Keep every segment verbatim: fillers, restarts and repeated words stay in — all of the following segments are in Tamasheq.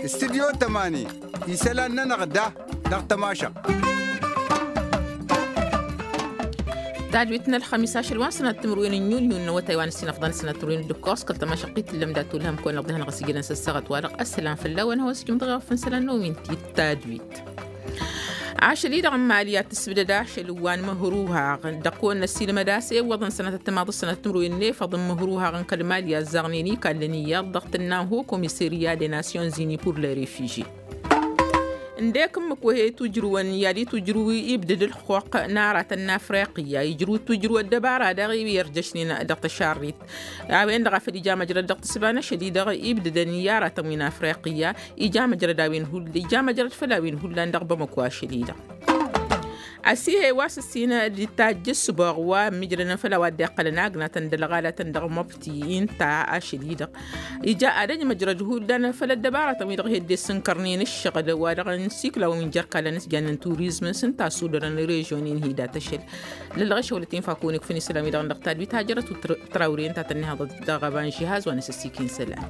Studyo tămani isălan-nănăɣ da dăɣ-tămašăɣt. Tadwit n-ălxămis ašăl wa n-sănat timǝrwen n-yunyu n-awătay wa n-ǝssin ăfḍăn sănat timǝrwen d-ǝkkoẓ kăl-tămašăɣt i-tǝllăm dat-olhăm kăwăn-ăḍḍihăn ɣas ijălăn s-ăssaɣăt wa-dăɣ ăssălam fălla-wen hawăsjǝm dăɣ-eɣăf n-isălan n-omin ti tadwit. Ašăl-i-dăɣ n-mali ad-tǝsbǝdăd ašăl wa n-imǝhruhaɣ dăɣ-kăwăn-năsilmăd a-s ewwăḍăn sănătăt timaḍ s-sănăt timǝrwen n-efăḍ n-imǝhruhaɣ n-kăl-mali a ăzzaɣnen ikallăn iyyăḍ dăɣ-tǝnna n-ho komisirya de nasyonzini pur le refižye. Ǝndek ǝmmǝk wa he-tujrǝwăn i-ad-itujrǝw ibdǝd ǝlxuqq n-aratăn n-afriqya ijrǝw tujrǝw ăddăbara daɣ i-irjăšnen dăɣ-tăšarrit. A-wen-dăɣ a făl ija măjrăd dăɣ-tǝsba n-ašăl-i-dăɣ ibdǝdăn i-aratăn wi n-afriqya ija măjrăd a-wen hull ija măjrăd făll-a-wen hullan dăɣ-bamăko ašăl-i-dăɣ. Ăsihe wa s-ǝssin d-tajj ǝssǝboɣ wa ǝmmijrănăn făll-a-wa dd-iqqălăn agnatăn d-ălɣalatăn dăɣ-mobti ǝnta ašăl-i-dăɣ ija ad-ăj măjrăd hullan făll-ăddăbaratăn-wi-dăɣ hedde ǝssǝnkărnen ǝššăɣǝl wa dăɣ-n siklawăn wi n-jerkalăn s-jannen turizm s-ǝnta a ăsudărăn režionen hi-dat ašăl. Lăllăɣ išăwlăt infa kăwăn-ikfăn isălan-wi-dăɣ dăɣ-tadwit hajărăt trawre ǝnta a tăn-nihăḍăt dăɣ-ăbanžihaz wa n-asăssikin isălan.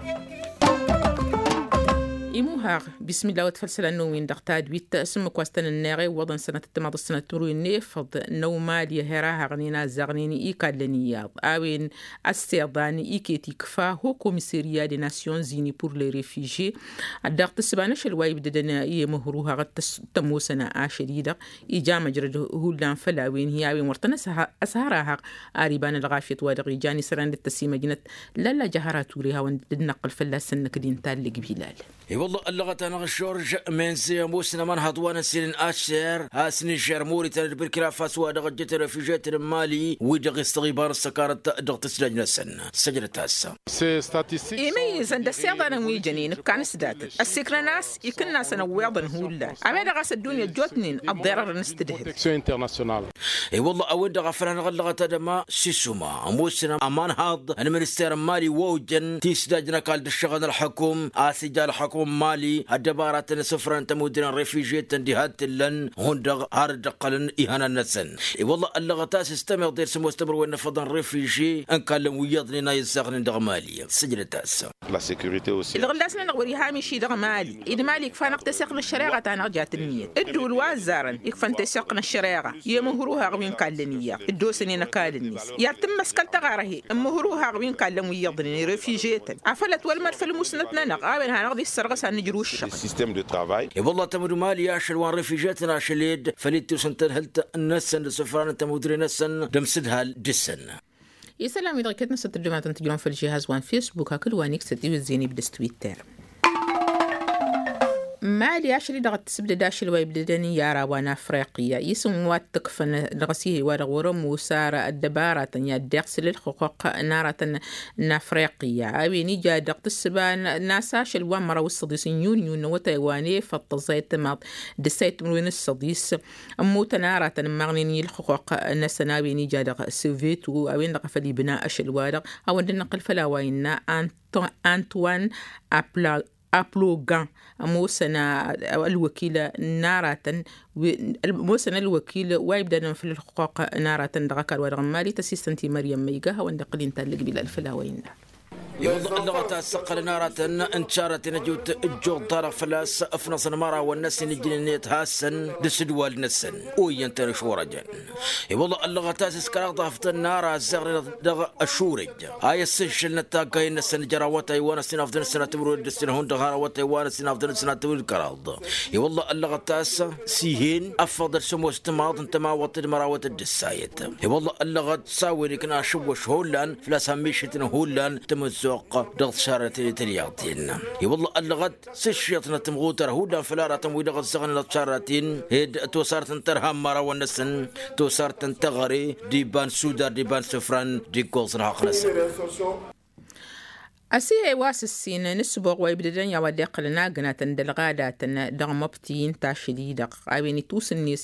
Imuhaɣ bismillah wăt făll-isălan n-omin dăɣ-tadwit s-ǝmmǝk wa s-tăn-ǝnneɣ ewwăḍăn sănătăt timaḍ s-sănăt timǝrwen n-efăḍ n-awmali a her-ahăɣnen azzăɣnen ikallăn iyyăḍ a-wen ăssewḍan iket ikfa ho komisirya de nasyonzini pur le refižye. Dăɣ-tǝssǝba n-ašăl wa ibdădăn i-imǝhruhaɣ t-ămoosăn ašăl-i-dăɣ ija măjrăd hullan făll-a-wen hi-a-wen wăr tăn-ăshăr-ahăɣ. Ar iba n-ălɣafyăt wa dăɣ-ijan isălan d-tăsimăjnăt lalla jahăra ture hawăn-dd-năqqǝl fălla-săn năkk d-inta ăllăg bilal. I-wălla ăllăɣăt-anăɣ žorž menze ămoosăn ămanhăḍ wa n-ăssin n-ašer has-nižer moritan d-birkina faso wa dăɣ-ăjjăt refižetăn n-mali wi-dăɣ istăɣ iba n-ăssăkarăt dăɣ-tǝsdaj-năsăn. Săjdăt-as. Imǝyyǝzăn d-ăssiḍanăn wi jănen ǝkkan s-datăn ăssikrăn a-s ikǝnnasăn ăwweḍăn hullan a-wen-dăɣ a-s ăddunya ăjjootnen ăḍḍerărăn s-tǝdhǝb. I-wălla a-wen-dăɣ a făl hanăɣ-ăllăɣăt ad-ăma sisuma ămoosăn ămanhaḍ n-minister n-mali wa ojăn tisdaj n-ăkall d-ǝššăɣǝl n-ălḥukum a-s ija ălḥukum n-mali ăddăbaratăn isǝfran n-tămudre n-refižyetăn diha t-ǝllăn hundăɣ har dd-ǝqqălăn ihănan-năsăn. I-wălla ăllăɣăt a-s s-tămeḍe d-sămoos timǝrwen n-efăḍăn refižye n-ikallăn wi iyyăḍnen a izzaɣnen dăɣ-mali. Sǝjdăt-as. Ǝlɣǝllas-nănăɣ wăr-iha miši dăɣ-mali d-mali ikfa-năɣ teseɣt n-ăššăreɣa ta-năɣ jat ǝnniyăt ǝddǝwǝl wa ăzzarăn ikfăn teseɣt n-ăššăreɣa i-imǝhruhaɣ wi n-kallăn iyyăḍ dd-osănen ăkall-net i-ad-tǝmmăskăl tăɣarhe n-imǝhruhaɣ wi n-kallăn wi iyyăḍnen refižetăn afăl ătwălmăd făll-musnăt-nănăɣ a-wen hanăɣ-dd-issărɣǝs ad-nǝjrǝw ǝššăɣǝl. I-wălla tămud mali ašăl wa n-refižetăn ašăl-ed făll-ittus n-tadhǝlt-năsăn d-asǝfran n-tămudre-năsăn d-amsǝdhal dăr-săn. Isălan-wi-dăɣ iket-năsăn tǝddǝmatăn tǝjrăwăn făll-žihaz wa n-fesbuk hakd wa n-iksăt iwǝzzin ibdǝs twitter. Mali ašăl-i-dăɣ ăttǝsǝbdăd ašăl wa ibdădăn i-ara wa n-afriqya isǝm wa t-ǝkfăn dăɣ-s ih'-e wa-dăɣ wăr-ămoos ara ăddăbaratăn i-ad-dd-iɣsǝl ǝlxǝqquq n-aratăn n-afriqya a-wen ija dăɣ-tǝssǝba n-a-s ašăl wa n-măraw s-săḍis n-yunyu n-awătay wa n-efăḍ tăẓẓayăt timaḍ d-ǝssayăt timǝrwen s-săḍis. Ămmutăn aratăn ǝmmaɣnen i-ǝlxǝqquq-năsăn a-wen ija dăɣ-sovyetu a-wen-dăɣ a făl ibna ašăl-wa-dăɣ hawăn-dd-năqqǝl făll-a-wa innă antoine aplogan ămoosăn ălwăkil n-aratăn ămoosăn ălwăkil wa ibdadăn făll-ǝlxǝqquq n-aratăn dăɣ-ăkall wa dăɣ-n mali tăsistăn-t i-măryăm ma iga hawăn-dd-iqqǝl inta ăllăg bilal făll-a-wa innă. I-wălla ăllăɣăt a-s ǝqqălăn aratăn n-tišarrăten ăjut ǝjjuḍ-ta-dăɣ făl-a-s ăfnăẓăn imărawăn-năsăn ijnen i-ăthassăn d-asǝdwal-năsăn oyyăn-tăn ăšorăjăn. I-wălla ăllăɣăt a-s s-kăraḍ afḍăn n-ara ăzzeɣnen dăɣ-ăšurăj a i-ăssǝnšǝlnăt taggayen-năsăn jer-awătay wa n-ăssinafḍăn s-sănatămrăwăd d-ǝssin hundăɣ har awătay wa n-ăssinafḍăn s-sănatămrăwăd kăraḍ. I-wălla ăllăɣăt a-s s-ihen ăffăḍăd sămoos timaḍ n-tămawăt d-mărawăt d-ǝssayăt. I-wălla ăllăɣăt s-a-wen ikna ašǝwwăš hullan făl-a-s hămmišǝtnăn hullan tamăzzuɣt dăɣ-tišarrăten i-tălyăḍten. I-wălla ăllăɣăt s-ǝššǝyăḍnăt timɣutăr hullan făll-aratăn wi-dăɣ ăzzăɣnen ăṭṭarraten ed tosarăt n-tărha n-imărawăn-năsăn tosarăt n-teɣăre d-iba n-sudar d-iba n-isǝfran d-iggoẓ n-hăqq-năsăn. Ăsihe wa s-ǝssin n-ǝssǝboɣ wa ibdădăn i-a-wa dd-iqqălăn agnatăn d-ălɣadatăn dăɣ-măbti n-tašǝli-dăɣ a-wen itusǝnnes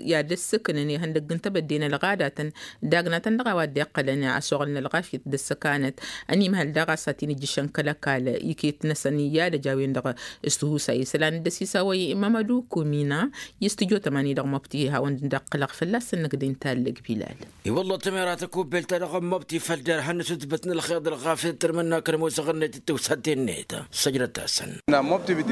i-ad-ǝssǝknăn ihăndăgg n-tebădde n-ălɣadatăn d-agnatăn dăɣ-a-wa dd-iqqălăn ăsoɣăl n-ălɣafyăt d-ăssăkanăt. Ănimhăl daɣ a-s ad-t-in-ǝjjǝšăn kăl-ăkall iket-năsăn i-ad-ăj a-wen-dăɣ s-tihusay isălan dd-ăsisawăy mămădu kumina. I-s tǝjo tămani dăɣ-măbti hawăn-dd-ăqqǝlăɣ fălla-săn năkk d-intallăg bilal. I-wălla tămera tăkubbelt-ta-dăɣ n-măbti făll-derhan n-asǝtbăt n-ălxeḍ ălɣafyăt d-tărmǝnna kăl-ămoos aɣǝnnăyt d-tiwsaten-net. Săjdăt-asăn.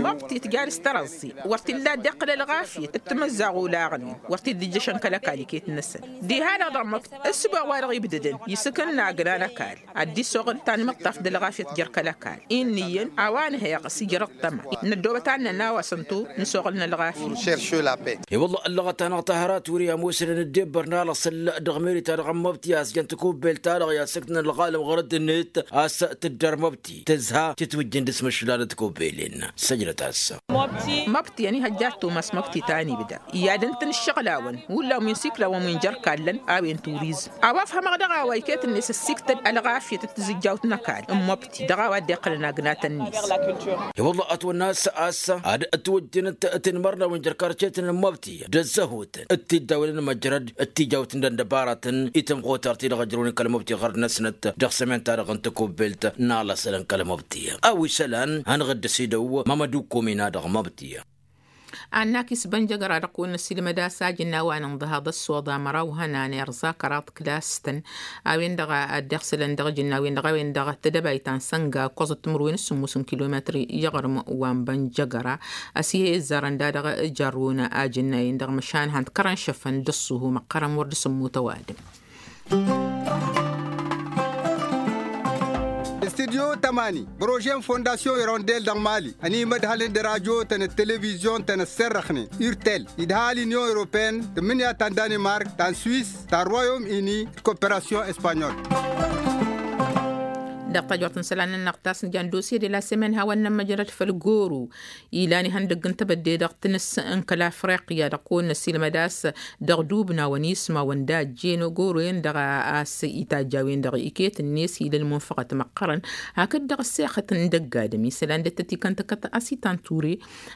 Măbti tǝjal s-tărăẓẓi wăr t-illa dd-iqqǝl ălɣafyăt d-timǝzzaɣ olaɣnen wăr t-dd-ǝjjăšăn kăl-ăkall iket-năsăn. Diha-dăɣ dăɣ-măbti ǝssǝboɣ wa dăɣ-ibdădăn isǝkǝnna agna n-ăkall ad-dd-isoɣǝl tanmǝṭṭaft d-ălɣafyăt jer-kăl-ăkall. Inniyăn a-wa nǝheɣ s-ijrăḍ tăma n-ăddoobăt ad-nănn a-wa s-ǝntu n-soɣǝl n-ălɣafyăt. I-wălla ăllăɣăt-anăɣ ta hărăt wăr-i ămoosnen ăddebbăr n-alăṣăl dăɣ-meri-ta-dăɣ n-măbti a-s jăn tikubbelt-ta-dăɣ i-ad-sǝktǝn ălɣalăm ɣur-ăddinăt a-s tǝddar măbti tǝzha tǝtwǝjjǝn d-asmǝššǝl ad-ătkubbelen. Săjdăt-as. Măbti ănihăjja ăttumas măbti ta n-ibda i-ad-ǝntǝn ǝššăɣlawăn wǝllan wi n-siklawăn wi n-jer-kallăn a-wen turizm. A-wa ăfhămăɣ dăɣ-a-wa iket-net ăssiktăd ălɣafyăt d-tizǝjjawt n-ăkall n-măbti dăɣ-a-wa dd-iqqălăn agnatăn-net. I-wălla ătwănna a-s a-s ad-ătwăjjănăt tinmărnawen jer-karcetăn n-măbti d-ăzzăhutăn d-tiddawălăn măjrăd d-tijawt n-dăndabaratăn i-tămɣutar ti-dăɣ ăjrăwnen kăl-măbti ɣărd-năsnăt dăɣ-sămenta-dăɣ n-tikubbelt n-alăṣălăn kăl-măbti. A-wa isălan hanăɣ-dd-ăsidăw mămădu kumina dăɣ-măbti. Annak isbănjăgăra dăɣ-kăwăn-năsilmăd a-s ajǝnna wa n-inḍăhaḍ ăssoḍa măraw hănan irẓa kăraḍ klas-tăn a-wen-dăɣ a dd-iɣsǝlăn dăɣ-ajǝnna a-wen-dăɣ a-wen-dăɣ tedăbayt ta n-sănga ǝkkoẓăt timǝrwen s-sǝmmos n-kilometri i-iɣrǝm wa n-bănjăgăra. Ăsihe izzarăn da-dăɣ jarrun ajǝnna-en-dăɣ măšan han-t kărăn šăfăn d-ăṣṣuhu măqqărăn wăr dd-sǝmmut ăwadǝm. Studyo tămani bărožen fondasyon irondel dăɣ-mali ănimădhălăn d-rajo-tăn d-televizyon-tăn ăsserrăxnen urtel idha l-inyon europeen tǝmmǝnǝya ta n-danimark ta n-swiss ta n-royom ini d-koperasyon espanyol. Dăɣ-tajort n-isălan-nănăɣ ta s-nǝjan dosye de la semen hawăn-nămmăjrăd făll-goro ilan ihăndăgg n-tebădde dăɣ-tinǝs n-kăl-afriqya dăɣ-kăwăn-năsilmăd a-s dăɣ-dubnawăn ismawăn d-ajjen ogoroyen-dăɣ a-s itajj a-wen-dăɣ iket-net ila ălmunfăɣăt măqqărăn. Hakd-dăɣ ăssexăt n-dăgg-adǝm isălan d-ăttăt ikăntăkăt asitan ture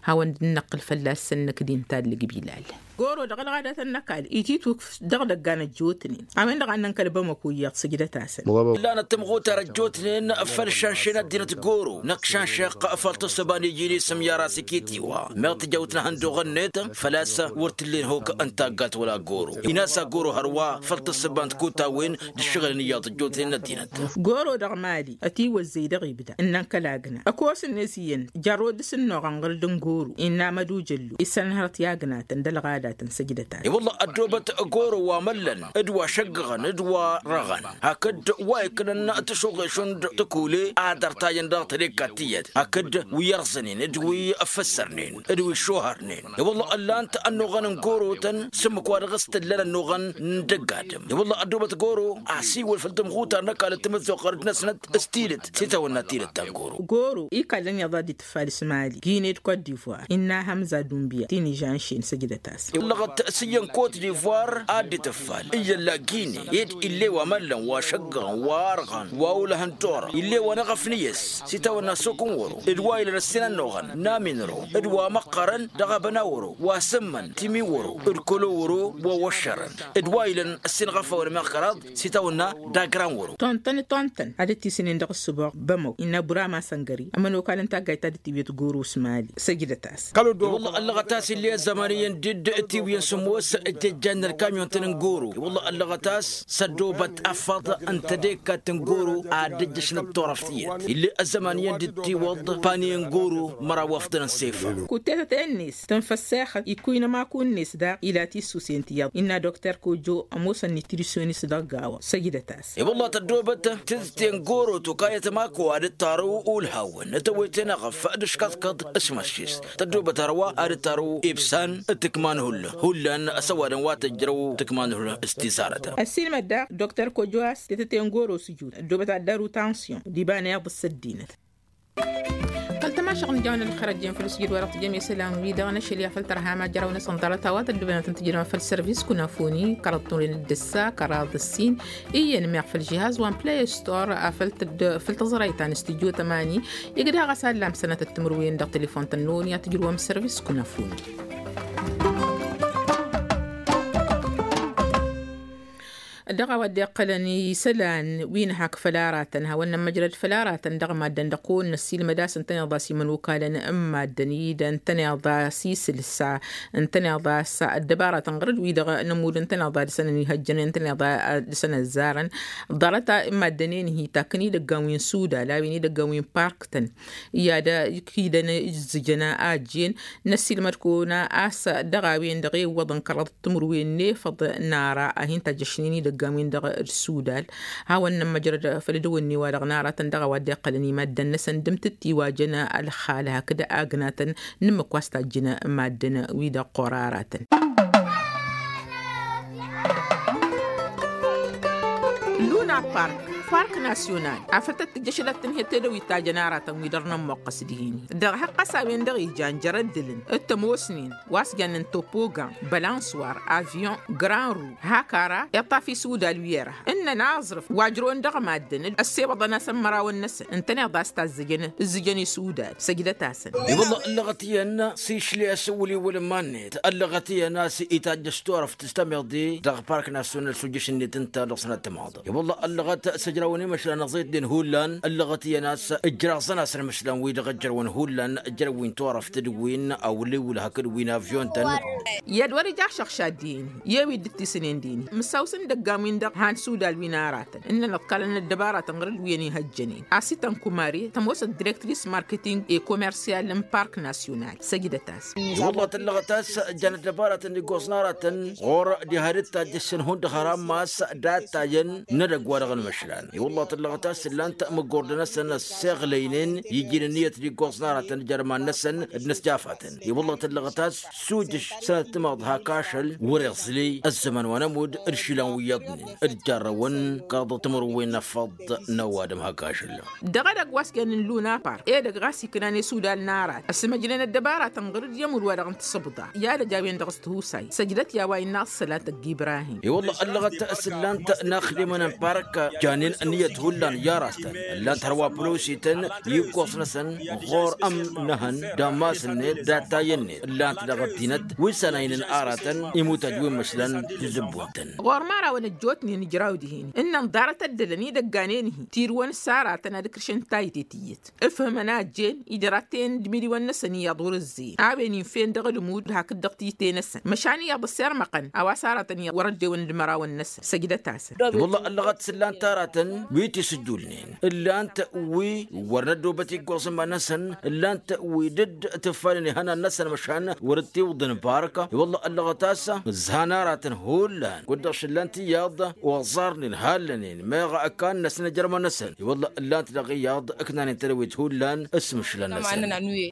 hawăn-dd-năqqǝl fălla-săn năkk d-intallǝg bilal. Goro dăɣ-ălɣadatăn n-ăkall ititwǝkf dăɣ-idăggan ăjjootnen a-wen-dăɣ a ǝnnăn kăl-bamăko iyyăḍ săjdăt-asăn. Ǝllanăt timɣutar ăjjootnen făll-šanšen ăddinăt goro năkk šanšeɣ făll-tǝssǝba n-iji n-isǝm i-ara s-iket-iwa meɣ tǝjawt n-ehăndoɣ-net făl-a-s wăr t-ǝllen hok n-taggat wăla goro. Inas a goro hărwa făll-tǝssǝba n-tikutawen d-ǝššăɣǝlăn iyyăḍ ăjjootnen n-ăddinăt. Goro dăɣ-mali ătiwăzzăy dăɣ-ibda ǝnnăn kăl-agna ăkos-net iyyăn jarrod s-ǝnnoɣăn ɣǝr-dd n-goro innă amădujăllu isănhărăt i-agnatăn d-ălɣadatăn săjdăt-as. I-wălla ăddoobăt goro wa măllăn d-wa šăggăɣăn d-wa răɣăn hakd wa iknăn tǝšuɣe šund tǝkule ad-ărtajăn dăɣ-tădekkat tiyyăt hakd wi ărẓănen d-wi ăffăssărnen d-wi šohărnen. I-wălla ǝllan-t ănnuɣăn n-goro-tăn s-ǝmmǝk wa dăɣ-s t-ǝllăn ănnuɣăn n-dăgg-adǝm. I-wălla ăddoobăt goro asiwăl făll-tămɣutar n-ăkall d-tamăzzuɣt ɣărăt-năsnăt s-tidǝt s-itawănna tidǝt ta n-goro. Goro ikallăn iyyăḍ ad-dd-itǝffal s-mali gine d-kot divoir innă hămza dunbiya tinižanšen săjdăt-as. Ǝllăɣăt s-iyyăn kot divoir ad-dd-itǝffal iyyălla gine ed ill'-e wa măllăn wa šăggăɣăn wa ărɣăn wa olăhăn torăɣ ill'-e wa n-eɣăf n-iyyăs s-itawănna sokǝn wăro d-wa ilăn ăssinănnuɣăn n-aminro d-wa măqqărăn dăɣ-abăna wăro wa sǝmmăn timi wăro d-kălo wăro wa wăššărăn d-wa ilăn ăssinɣăfăwăn meɣ kăraḍ s-itawănna d-agran wăro. Tontăn tontăn ad-dd-tisǝnen dăɣ-ǝssǝboɣ bămăw innă burama săngări ămănokal n-taggayt ta dd-tiwǝyăt goro s-mali săjdăt-as. I-wălla ăllăɣăt a-s ill'-e ăzzăman iyyăn dd-tiwǝyăn sǝmmos ǝjjăjjan n-ălkamyon-tăn n-goro. I-wălla ăllăɣăt a-s s-ăddoobăt afăḍ n-tădekkat n-goro ad-dd-ǝjjăšăn d-turăft iyyăt ill'-e ăzzăman iyyăn dd-tiwăḍ paniye n-goro măraw afḍăn n-sefăr. Kuttetăten-net tǝnfăssexăt ikkuynăm aku-net daɣ ila tissusen tiyyăḍ innă dokter kojo ămoosăn nitrisyonist dăɣ-gawa săjdăt-as. I-wălla tăddoobăt tidǝte n-goro tokayăt mako ad-dd-tarǝw ulhawăn tăwăyten eɣăf d-ǝškăḍkăḍ s-măššis tăddoobăt hărwa ad-dd-tarǝw ibsan d-tǝkma n-hullan hullan s-ăwadǝm wa tǝjrăw tǝkma n-hullan s-tizarăt. Ăssiilmăd daɣ dokter kojo a-s tetăte n-goro s-ǝjut ăddoobăt ad-dd-arǝw tansyon d-iba n-iyyăḍ s-ăddinăt. Kăl-tăma Ašăɣ n-ijawăn ălxerăt jen făll-sijǝd wa dăɣ-tijăm isălan-wi-dăɣ n-ašăl i-afăl tărha ma jăraw-năsăn ḍarăt a-wa tăddăbănăt n-tijrăwăn făll-sărvis kunăfuni kăraḍ turen d-ǝssa kăraḍ ǝssin. Iyyăn meɣ făll-žihaz wa n-play store afăl tădd-făll-tăẓrăy ta n-studyo tămani. Igdăɣ a-s allam sănătăt timǝrwen dăɣ-telefon tănnon i-ad-tǝjrǝwăm sărvis kunăfuni. Dăɣ-a-wa dd-iqqălăn isălan wi n-hak făll-aratăn hawăn-nămmăjrăd făll-aratăn dăɣ-maddăn dăɣ-kăwăn-năssilmăd a-s ǝntăneḍ a-s imănokalăn n-maddăn-i d-ǝntăneḍ a-s isǝlsa ǝntăneḍ a-s ăddăbaratăn ɣur-dd-wi-dăɣ nămud ǝntăneḍ a dăɣ-săn ănihăjjănen ǝntăneḍ a dăɣ-săn ăzzarăn. Ḍarăt n-maddăn-en-hi takkăn idăggan wi n-sudal a-wen idăggan wi n-park-tăn i-ad-kidăn ǝzzǝjăn a ăjjeen. Năssiilmăd-kăwăn a-s dăɣ-a-wen-dăɣ iwwăḍăn kăraḍăt timǝrwen n-efăḍ n-ara a hin-tajjăšnen idăggan-win-dăɣ d-sudal. Hawăn-nămmăjrăd făll-edăwănne-wa-dăɣ n-aratăn dăɣ-a-wa dd-iqqălăn i-maddăn-năsăn d-amtǝtti wa jăn ălxal hakd agnatăn n-ǝmmǝk wa s-tajjǝn maddăn-wi-dăɣ ɣur-aratăn. Luna park park nasyonal afăl tăt-tǝjjăšălăt tǝnhǝyăt tedăwit ta jăn aratăn wi dăr-nămmoqqăs dihin. Dăɣ-hăqqas a-wen-dăɣ ijan jer-ăddǝlăn d-tămoosnen wa s-jannen topogan bălanswar avyon gran ru hakara iṭṭaf isudal wi ărha ǝnnăn aẓrǝf wa ǝjrăwăn dăɣ-maddǝn ăssewăḍăn-asăn mărawăn-năsăn ǝntăneḍ a-s tazzǝjăn ǝzzǝjăn isudal săjdăt-asăn. I-wălla ăllăɣăt iyyăn s-išli asǝwǝl iwăl n-iman-net ăllăɣăt iyyăn a-s itajjăš turăft s-tămiḍe dăɣ-park nasyonal s-ujjǝš-net ǝnta dăɣ-sănăt timaḍ. I-wălla ăllăɣăt s-ǝjrawăn imăšlan ăẓitnen hullan ăllăɣăt iyyăn a-s ǝjraẓăn-asăn imăšlan wi-dăɣ ǝjrăwăn hullan ǝjrăw wi n-turăft d-wi n-awǝliwǝl hakd wi n-avyon-tăn. I-ad wăr-ija ašăɣšad dihen-hi i-wi dd-tisǝnen dihen-hi mǝssaw-s n-idăggan-win-dăɣ han sudal wi n-aratăn ǝnnăn ǝḍkalăn ăddăbaratăn ɣur-dd wi ănihăjjănen. Asităn kumare tămoosăt direktris marketing e komersyal n-park nasyonal săjdăt-as. I-wălla tăllăɣăt a-s jan ăddăbaratăn d-iggoẓ n-aratăn ɣur-diha d-tajjăššăn hundăɣ hărămmas d-ad-tajăn n-edăgg wa dăɣ-nǝmăšlan i-wălla tăllăɣăt a-s ǝllan-t măggordăn-năsăn ăssiɣlăynen iji n-ǝnniyăt d-iggoẓ n-aratăn d-iman-năsăn d-inǝsjafatăn. I-wălla tăllăɣăt a-s s-ujǝš sănăt timaḍ hak ašăl wăr-iẓlǝy ăzzăman wa n-ămudd d-išilan wi iyyăḍnen d-jarrăwăn kăraḍăt timǝrwen n-efăḍ n-ăwadǝm hak ašăl. Dăɣ-edăgg wa s-jannen luna park edăgg ɣas iknan isudal n-arat ăsmăjnen ăddăbaratăn ɣur-dd i-ămudd wa dăɣ-n tǝsǝbḍa i-ad-ăj a-wen-dăɣ s-tihusay săjdăt i-a-wa innă aḍsălat ăgg-ibrahim. I-wălla ăllăɣăt s-ǝllan-t n-axdimăn n-park janen ǝnniyăt hullan i-aratăn ǝllan-t hărwa pălosităn i-iggoẓ-năsăn ɣur-ămnăhăn d-ammas-net d-attayăn-net ǝllan-t dăɣ-ăddinăt wi s-anaynen aratăn imutăj wi n-imăšlan tizǝbbun-tăn. Ɣur-imărawăn ăjjootnen ǝjraw dihen ǝnnăn ḍarăt ăddălăn idăgganen-hi tirǝwăn s-aratăn ad-ǝkrǝšăn taytet iyyăt ǝfhǝmăn a ăjjeen ijraten d-imǝdiwăn-năsăn iyyăḍ wăr-ǝzzeyăn a-wen infen dăɣ-ălmud hakd dăɣ-tite-năsăn măšan iyyăḍ ăssirmăqăn a-wa s-aratăn iyyăḍ wăr-ăddewăn d-imărawăn-năsăn săjdăt-asăn. I-wălla ăllăɣăt s-ǝllan-t aratăn wi tisǝjjulnen ǝllan-t wi wăr năddobăt iggoẓ n-iman-năsăn ǝllan-t wi dd-tǝffanen ihănan-năsăn măšan wăr-dd-tiwǝḍăn bark. I-wălla ăllăɣăt a-s ǝzzhan aratăn hullan kud-dăɣ šǝllan-t iyyăḍ oẓarnen hallănen meɣ ăkkan-năsăn ijărmăn-năsăn i-wălla ǝllan-t dăɣ-iyyăḍ ǝknanen tedăwit hullan s-imǝšlan-năsăn.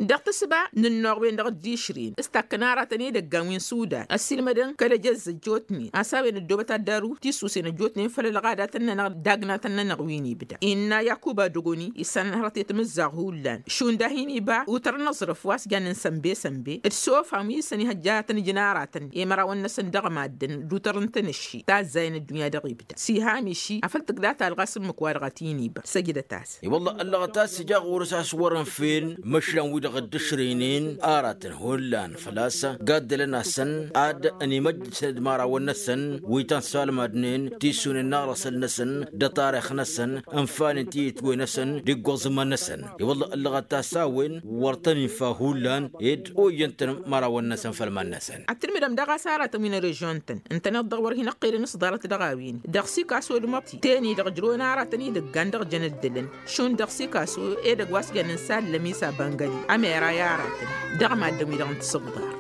Dăɣ-tǝssǝba n-ǝnnuɣ-wen-dăɣ dd-išrǝyăn s-takkăn aratăn idăggan wi n-sudan ăssiilmădăn kăl-ejăzz ăjjootnen a-s a-wen ăddoobăt ad-daru tisusen ăjjootnen făll-ălɣadatăn-nănăɣ d-agnatăn-nănăɣ wi n-ibda innă yakuba dogoni isănhărăt i-timǝzzaɣ hullan šund a hin-iba utăr n-aẓrǝf wa s-jannen sănbe-sănbe d-sofan wi s-ănihăjja ad-tăn-ǝjǝn aratăn i-mărawăn-năsăn dăɣ-maddǝn d-utăr n-tanăšši tazzayăn ăddunya dăɣ-ibda s-iham iši afăl tǝgda talɣa s-ǝmmǝk-wa-dăɣ a t-in-iba săjdăt-as. I-wălla ăllăɣăt a-s ija ɣur-s a-s wăr-ǝnfen măšlan-wi-dăɣ dd-ǝšrǝynen aratăn hullan făl-a-s gaddălăn-asăn ad-ănimăjjăsăn d-imărawăn-năsăn wi tăn-salmadnen tisunen n-aɣrăsăl-năsăn d-atarix-năsăn ǝnfanen tiyǝtwe-năsăn d-iggoẓ iman-năsăn. I-wălla ăllăɣăt a-s a-wen wăr tăn-infa hullan ed oyyăn-tăn imărawăn-năsăn făll-iman-năsăn. Ad-tǝlmǝdăm daɣ a-s aratăn wi n-režion-tăn ǝntăneḍ-dăɣ wăr hin-ăqqelăn s-ḍarăt dăɣ-a-wen dăɣ-sikaso d-măbti ten-i-dăɣ ǝjrăwăn aratăn idăggan dăɣ-jăn ăddălăn šund dăɣ-sikaso edăgg wa s-jannen sallăm isabăngăli ămera i-aratăn dăɣ-maddǝn-wi-dăɣ n-tisǝbḍar.